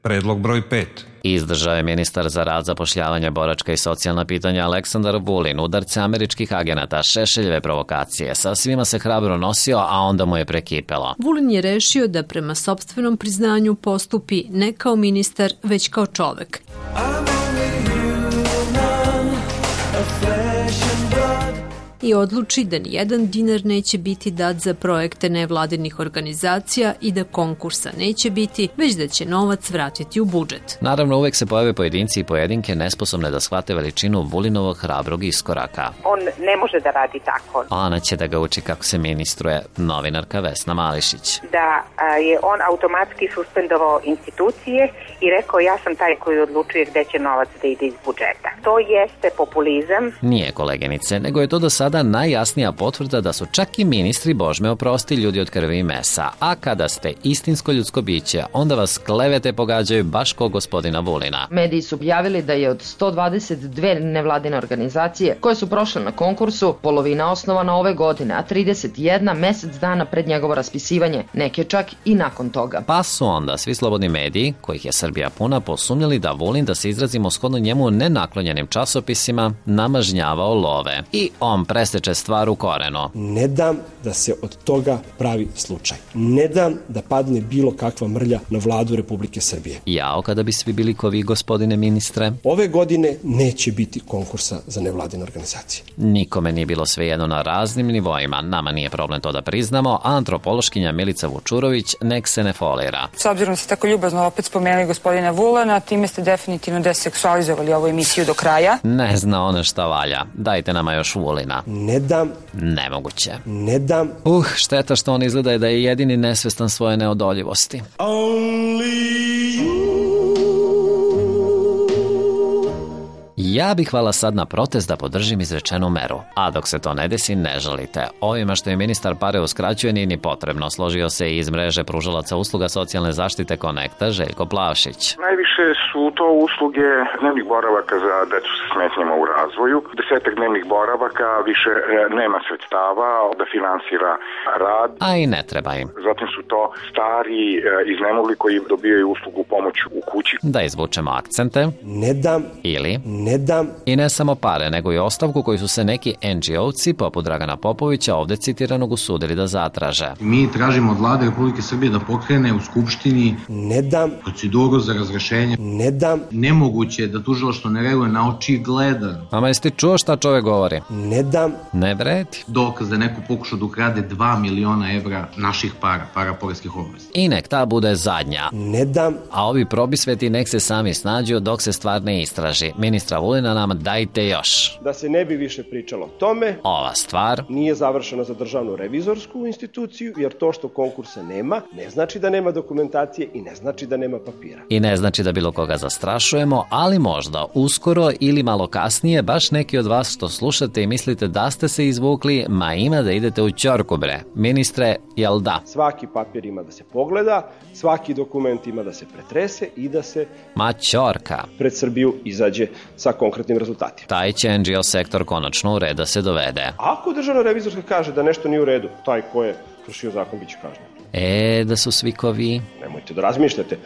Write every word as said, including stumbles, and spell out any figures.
Predlog broj pet. Izdržao je ministar za rad, zapošljavanje, boračka i socijalna pitanja Aleksandar Vulin udarce američkih agenata, Šešeljeve provokacije. Sa svima se hrabro nosio, a onda mu je prekipelo. Vulin je rešio da prema sopstvenom priznanju postupi ne kao ministar, već kao čovek. I odluči da nijedan dinar neće biti dat za projekte nevladinih organizacija i da konkursa neće biti, već da će novac vratiti u budžet. Naravno, uvek se pojave pojedinci i pojedinke nesposobne da shvate veličinu Vulinovog hrabrog iskoraka. On ne može da radi tako. Ona će da ga uči kako se ministruje, novinarka Vesna Mališić. Da je on automatski suspendovao institucije i rekao ja sam taj koji odlučuje gde će novac da ide iz budžeta. To jeste populizam. Nije, koleginice, nego je to do sada najjasnija potvrda da su čak i ministri, Bož me oprosti, ljudi od krvi i mesa. A kada ste istinsko ljudsko biće, onda vas klevete pogađaju baš kao gospodina Vulina. Mediji su objavili da je od sto dvadeset dve nevladine organizacije koje su prošle na konkursu, polovina osnovana ove godine, a trideset jedna mesec dana pred njegovo raspisivanje, neke čak i nakon toga. Pa su onda svi slobodni mediji, kojih je Srbija puna, posumnjali da Vulin, da se izrazimo shodno njemu nenaklonjenim časopisima, namažnjavao love. I on presteče stvar u korenu. Ne dam da se od toga pravi slučaj. Ne dam da padne bilo kakva mrlja na vladu Republike Srbije. Jao, kada bi svi bili ko vi, gospodine ministre. Ove godine neće biti konkursa za nevladine organizacije. Nikome nije bilo svejedno na raznim nivoima. Nama nije problem to da priznamo, a antropološkinja Milica Vučurović nek se ne folira. S obzirom da ste tako ljubazno opet spomenuli gospodina Vulana, time ste definitivno deseksualizovali ovu emisiju do kraja. Ne zna ona šta valja. Dajte nama još Vulina. Ne dam. Nemoguće. Ne dam. Uh, šteta što on izgleda da je jedini nesvestan svoje neodoljivosti. Ja bih hvala sad na protest da podržim izrečenu meru. A dok se to ne desi, ne žalite. Ovima što je ministar pare uskraćuje nije ni potrebno. Složio se i iz mreže pružalaca usluga socijalne zaštite Konekta Željko Plavšić. Najviše su to usluge dnevnih boravaka za decu sa smetnjama u razvoju. Desetak dnevnih boravaka više nema sredstava da finansira rad. A i ne treba im. Zatim su to stari iznemogli koji dobijaju uslugu pomoć u kući. Da izvučemo akcente. Ne dam. Ili ne dam. I ne samo pare, nego i ostavku koju su se neki en dži ovci poput Dragana Popovića ovde citiranog usudili da zatraže. Mi tražimo od vlade Republike Srbije da pokrene u Skupštini ne dam proceduru za razrešenje. Ne dam. Nemoguće da tužilaštvo ne reaguje na očigledan. Ama jesi ti čuo šta čovek govori? Ne dam. Ne vredi. Dokaz da neko pokušao da ukrade dva miliona evra naših para, para poreskih obveznika. I nek ta bude zadnja. Ne dam. A ovi probisveti nek se sami snađu dok se stvar ne istraži. Ministra Vulina nam dajte još. Da se ne bi više pričalo o tome, ova stvar nije završena za državnu revizorsku instituciju, jer to što konkursa nema, ne znači da nema dokumentacije i ne znači da nema papira. I ne znači da bilo koga zastrašujemo, ali možda uskoro ili malo kasnije baš neki od vas što slušate i mislite da ste se izvukli, ma ima da idete u ćorku bre. Ministre, jel da? Svaki papir ima da se pogleda, svaki dokument ima da se pretrese i da se ma ćorka pred Srbiju izađe sa konkretnim rezultatima. Taj će en dži o sektor konačno u red da se dovede. Ako državna revizorska kaže da nešto nije u redu, taj ko je kršio zakon biće kažnjen. E, da su svi ko vi. Nemojte da razmišljate.